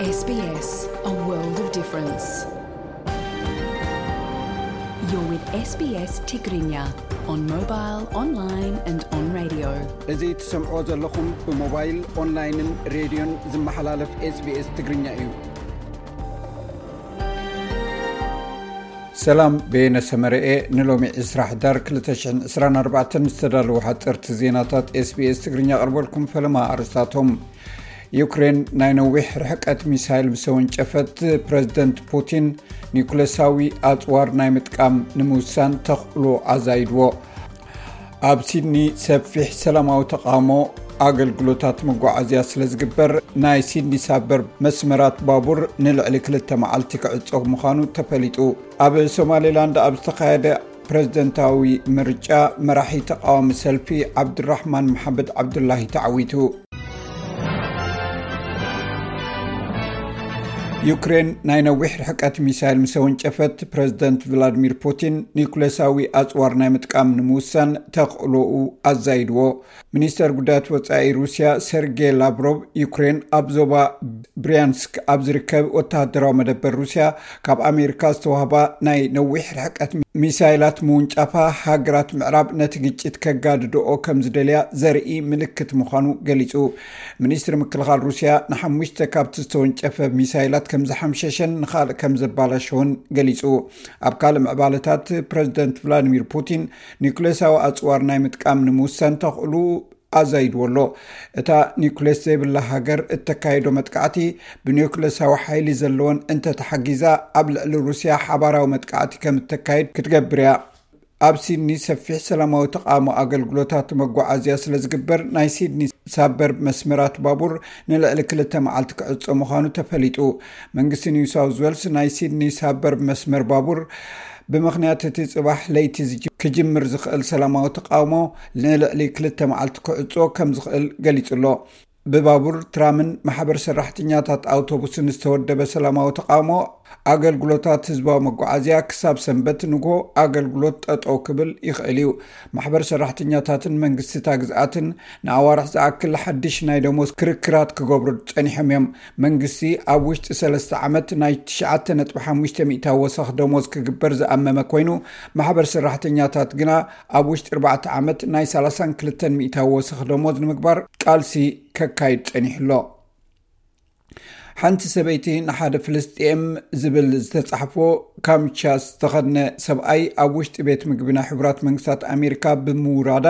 S B S, a world of difference. You're with S B S Tigrinya on mobile, online and on radio. እዚ ትሰምዕዎ ዘለኹም ብሞባይል፣ ኦንላይንን ሬድዮን ዝመሓላለፍ SBS ትግርኛ እዩ። ሰላም፣ በየነ ሰመረኤ። ንሎሚ ዕስራ ሕዳር ክልተ ሽሕን ዕስራን ኣርባዕተን ዝተዳለዉ ሓፀርቲ ዜናታት SBS ትግርኛ ኣቕርበልኩም። ፈለማ ኣርስታቶም። ዩክሬን ናይ ነዊሕ ርሕቀት ሚሳይል ምስ ወንጨፈት፣ ፕረዚደንት ፑቲን ኒኩለሳዊ ኣጽዋር ናይ ምጥቃም ንምውሳን ተኽእሎ ኣዛይድዎ። ኣብ ሲድኒ ሰፊሕ ሰላማዊ ተቓውሞ ኣገልግሎታት መጓዓዝያ ስለ ዝግበር፣ ናይ ሲድኒ ሳበርብ መስመራት ባቡር ንልዕሊ ክልተ መዓልቲ ክዕጾ ምዃኑ ተፈሊጡ። ኣብ ሶማሌላንድ ኣብ ዝተኻየደ ፕረዚደንታዊ ምርጫ፣ መራሒ ተቓዋሚ ሰልፊ ዓብዱራሕማን መሓመድ ዓብዱላሂ ተዓዊቱ። ዩክሬን ናይ ነዊሕ ርሕቀት ሚሳይል ምስ ወንጨፈት፣ ፕረዚደንት ቭላድሚር ፑቲን ኒኩሌሳዊ ኣጽዋር ናይ ምጥቃም ንምውሳን ተኽእሎኡ ኣዛይድዎ። ሚኒስተር ጉዳያት ወጻኢ ሩስያ ሰርጌ ላቭሮቭ፣ ዩክሬን ኣብ ዞባ ብሪያንስክ ኣብ ዝርከብ ወተሃደራዊ መደበር ሩስያ ካብ ኣሜሪካ ዝተዋህባ ናይ ነዊሕ ርሕቀት ሚሳይላት ምውንጫፋ፣ ሃገራት ምዕራብ ነቲ ግጭት ከጋድድኦ ከም ዝደልያ ዘርኢ ምልክት ምዃኑ ገሊጹ። ሚኒስትሪ ምክልኻል ሩስያ፣ ንሓሙሽተ ካብቲ ዝተወንጨፈ ሚሳይላት ከም ዝሓምሸሸን ንኻልእ ከም ዘባላሸወን ገሊጹ። ኣብ ካልእ ምዕባለታት፣ ፕረዚደንት ቭላድሚር ፑቲን ኒኩሌሳዊ ኣጽዋር ናይ ምጥቃም ንምውሳን ተኽእሉ ኣዛይድዎ ኣሎ። እታ ኒኩሌስ ዘይብላ ሃገር እተካይዶ መጥቃዕቲ፣ ብኒኩሌሳዊ ሓይሊ ዘለወን እንተተሓጊዛ፣ ኣብ ልዕሊ ሩስያ ሓባራዊ መጥቃዕቲ ከም እተካይድ ክትገብር እያ። ኣብ ሲድኒ ሰፊሕ ሰላማዊ ተቓውሞ ኣገልግሎታት መጓዓዝያ ስለ ዝግበር፣ ናይ ሲድኒ ሳበርብ መስመራት ባቡር ንልዕሊ ክልተ መዓልቲ ክዕጾ ምዃኑ ተፈሊጡ። መንግስቲ ኒው ሳውዝ ዌልስ፣ ናይ ሲድኒ ሳበርብ መስመር ባቡር ብምኽንያት እቲ ጽባሕ ለይቲ ዝጅ-፣ ክጅምር ዝኽእል ሰላማዊ ተቓውሞ፣ ንልዕሊ ክልተ መዓልቲ ክዕጾ ከም ዝኽእል ገሊጹ ኣሎ። ብባቡር፣ ትራምን ማሕበር ሰራሕተኛታት ኣውቶቡስን ዝተወደበ ሰላማዊ ተቓውሞ ኣገልግሎታት ህዝባዊ መጓዓዝያ ክሳብ ሰንበት ንግሆ ኣገልግሎት ጠጠው ክብል ይኽእል እዩ። ማሕበር ሰራሕተኛታትን መንግስቲ እታ ግዝኣትን ንኣዋርሕ ዝኣክል ሓድሽ ናይ ደሞዝ ክርክራት ክገብሩ ጸኒሖም እዮም። መንግስቲ ኣብ ውሽጢ ሰለስተ ዓመት ናይ ትሽዓተ ነጥቢ ሓሙሽተ ሚእታዊ ወሰኽ ደሞዝ ክግበር ዝኣመመ ኮይኑ፣ ማሕበር ሰራሕተኛታት ግና ኣብ ውሽጢ ኣርባዕተ ዓመት ናይ ሰላሳን ክልተን ሚእታዊ ወሰኽ ደሞዝ ንምግባር ቃልሲ ከካይድ ጸኒሑ ኣሎ። ሓንቲ ሰበይቲ ንሓደ ፍልስጤም ዝብል ዝተጻሕፎ ካምቻ ዝተኸድነ ሰብኣይ ኣብ ውሽጢ ቤት ምግቢ ናይ ሕቡራት መንግስታት ኣሜሪካ ብምውራዳ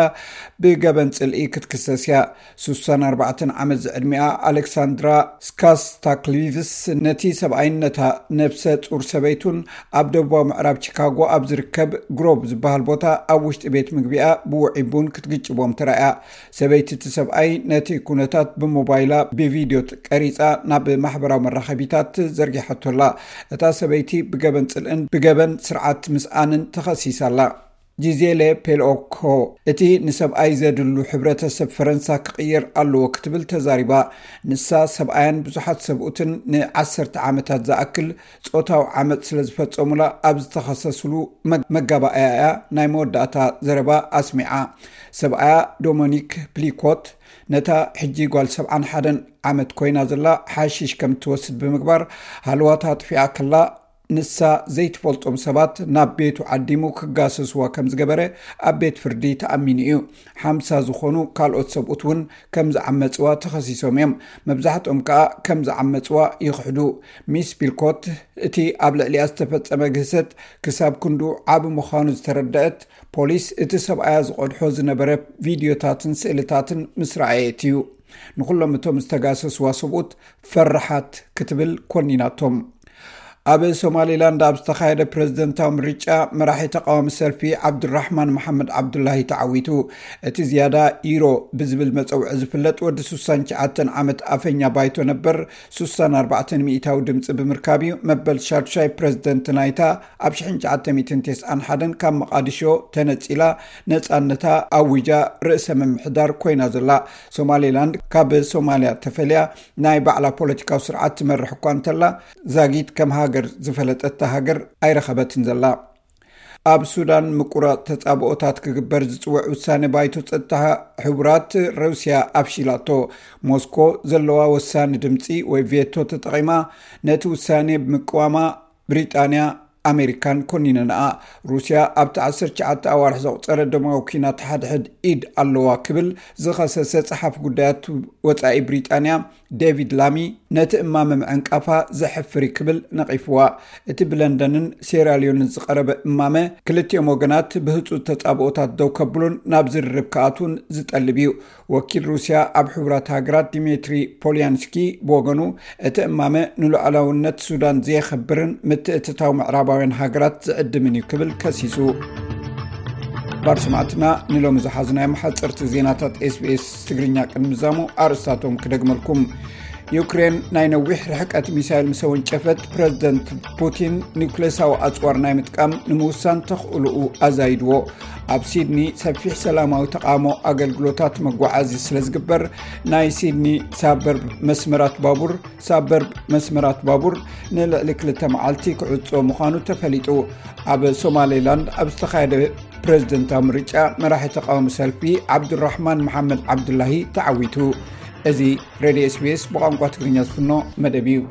ብገበን ጽልኢ ክትክሰስ እያ። ስሳን ኣርባዕተን ዓመት ዝዕድሚኣ ኣሌክሳንድራ ስካስታክሊቭስ፣ ነቲ ሰብኣይን ነታ ነብሰ ጡር ሰበይቱን ኣብ ደቡባዊ ምዕራብ ቺካጎ ኣብ ዝርከብ ግሮቭ ዝበሃል ቦታ ኣብ ውሽጢ ቤት ምግቢኣ ብውዑይ ቡን ክትግጭቦም ተራእያ። ሰበይቲ እቲ ሰብኣይ ነቲ ኩነታት ብሞባይላ ብቪድዮ ቀሪጻ ናብ ማሕበራዊ መራኸቢታት ዘርጊሓቶ ኣላ። እታ ሰበይቲ ብገበን ጽልእን ብገበን ስርዓት ምስኣንን ተኸሲሳ ኣላ። ጂዜሌ ፔልኦኮ፣ እቲ ንሰብኣይ ዘድሉ ሕብረተሰብ ፈረንሳ ክቕየር ኣለዎ ክትብል ተዛሪባ። ንሳ፣ ሰብኣያን ብዙሓት ሰብኡትን ንዓሰርተ ዓመታት ዝኣክል ጾታዊ ዓመጽ ስለ ዝፈጸሙላ ኣብ ዝተኸሰስሉ መ-፣ መጋባእያ እያ ናይ መወዳእታ ዘረባ ኣስሚዓ። ሰብኣያ ዶሞኒክ ፕሊኮት፣ ነታ ሕጂ ጓል ሰብዓን ሓደን ዓመት ኮይና ዘላ ሓሺሽ ከም እትወስድ ብምግባር፣ ሃለዋታ ኣጥፊኣ ከላ፣ ንሳ ዘይትፈልጦም ሰባት ናብ ቤቱ ዓዲሙ ክጋሰስዋ ከም ዝገበረ ኣብ ቤት ፍርዲ ተኣሚኑ እዩ። ሓምሳ ዝኾኑ ካልኦት ሰብኡት እውን ከም ዝዓመጽዋ ተኸሲሶም እዮም። መብዛሕትኦም ከኣ ከም ዝዓመጽዋ ይኽሕዱ። ሚስ ፒልኮት፣ እቲ ኣብ ልዕሊኣ ዝተፈጸመ ግህሰት ክሳብ ክንዱ ዓቢ ምዃኑ ዝተረደአት ፖሊስ፣ እቲ ሰብኣያ ዝቐድሖ ዝነበረ ቪድዮታትን ስእልታትን ምስ ረኣየት እዩ ንኹሎም እቶም ዝተጋሰስዋ ሰብኡት ፈራሓት ክትብል ኮኒናቶም። ኣብ ሶማሊላንድ ኣብ ዝተኻየደ ፕረዚደንታዊ ምርጫ፣ መራሒ ተቓዋሚ ሰልፊ ዓብዱራሕማን መሓመድ ዓብዱላሂ ተዓዊቱ። እቲ ዝያዳ ኢሮ ብዝብል መጸውዒ ዝፍለጥ ወዲ ስሳን ትሽዓተን ዓመት ኣፈኛ ባይቶ ነበር፣ ስሳን ኣርባዕተን ሚእታዊ ድምጺ ብምርካብ እዩ መበል ሻዱሻይ ፕረዚደንት ናይታ ኣብ ሽሕን ትሽዓተ ሚእትን ተስዓን ሓደን ካብ መቓዲሾ ተነጺላ ነጻነታ ኣዊጃ ርእሰ ምምሕዳር ኮይና ዘላ። ሶማሌላንድ ካብ ሶማልያ ተፈልያ ናይ ባዕላ ፖለቲካዊ ስርዓት ትመርሕ እኳ እንተላ፣ ዛጊት ከም ሃገር ዝፈለጠታ ሃገር ኣይረኸበትን ዘላ። ኣብ ሱዳን ምቁራጽ ተጻብኦታት ክግበር ዝጽውዕ ውሳነ ባይቶ ጸጥታ ሕቡራት ሩስያ ኣፍሺላቶ። ሞስኮ ዘለዋ ወሳኒ ድምጺ ወይ ቬቶ ተጠቒማ ነቲ ውሳኔ ብምቅዋማ ብሪጣንያ ኣሜሪካን ኮኒነንኣ። ሩስያ ኣብቲ ዓሰርተ ትሽዓተ ኣዋርሕ ዘቑጸረ ደማዊ ኲናት ሓድሕድ ኢድ ኣለዋ ክብል ዝኸሰሰ ጸሓፊ ጉዳያት ወጻኢ ብሪጣንያ ዴቪድ ላሚ ነቲ እማመ ምዕንቃፋ ዘሕፍር እዩ ክብል ነቒፍዋ። እቲ ብለንደንን ሴራሊዮንን ዝቐረበ እማመ ክልቲኦም ወገናት ብህጹጽ ተጻብኦታት ደው ከብሉን ናብ ዝርርብ ክኣትዉን ዝጠልብ እዩ። ወኪል ሩስያ ኣብ ሕቡራት ሃገራት ዲሜትሪ ፖልያንስኪ ብወገኑ እቲ እማመ ንሉዓላውነት ሱዳን ዘየኸብርን ምትእትታው ምዕራባውያን ሃገራት ዝዕድምን እዩ ክብል ከሲሱ። ባር ሰማዕትና ንሎሚ ዝሓዝናዮም ሓፀርቲ ዜናታት ኤስቢኤስ ትግርኛ ቅድሚ ዛሙ ኣርእስታቶም ክደግመልኩም። ዩክሬን ናይ ነዊሕ ርሕቀት ሚሳይል ምስ ኣወንጨፈት ፕረዚደንት ፑቲን ኒውክሌሳዊ ኣፅዋር ናይ ምጥቃም ንምውሳን ተኽእልኡ ኣዛይድዎ። ኣብ ሲድኒ ሰፊሕ ሰላማዊ ተቓውሞ ኣገልግሎታት መጓዓዚ ስለ ዝግበር ናይ ሲድኒ ሳበርብ መስመራት ባቡር ሳበርብ መስመራት ባቡር ንልዕሊ ክልተ መዓልቲ ክዕጾ ምዃኑ ተፈሊጡ። ኣብ ሶማሌላንድ ኣብ ዝተኻየደ ፕረዚደንታዊ ምርጫ መራሒ ተቃዋሚ ሰልፊ ዓብዱራሕማን መሓመድ ዓብዱላሂ ተዓዊቱ። እዚ ሬድዮ ኤስቢኤስ ብቋንቋ ትግርኛ ዝፍኖ መደብ እዩ።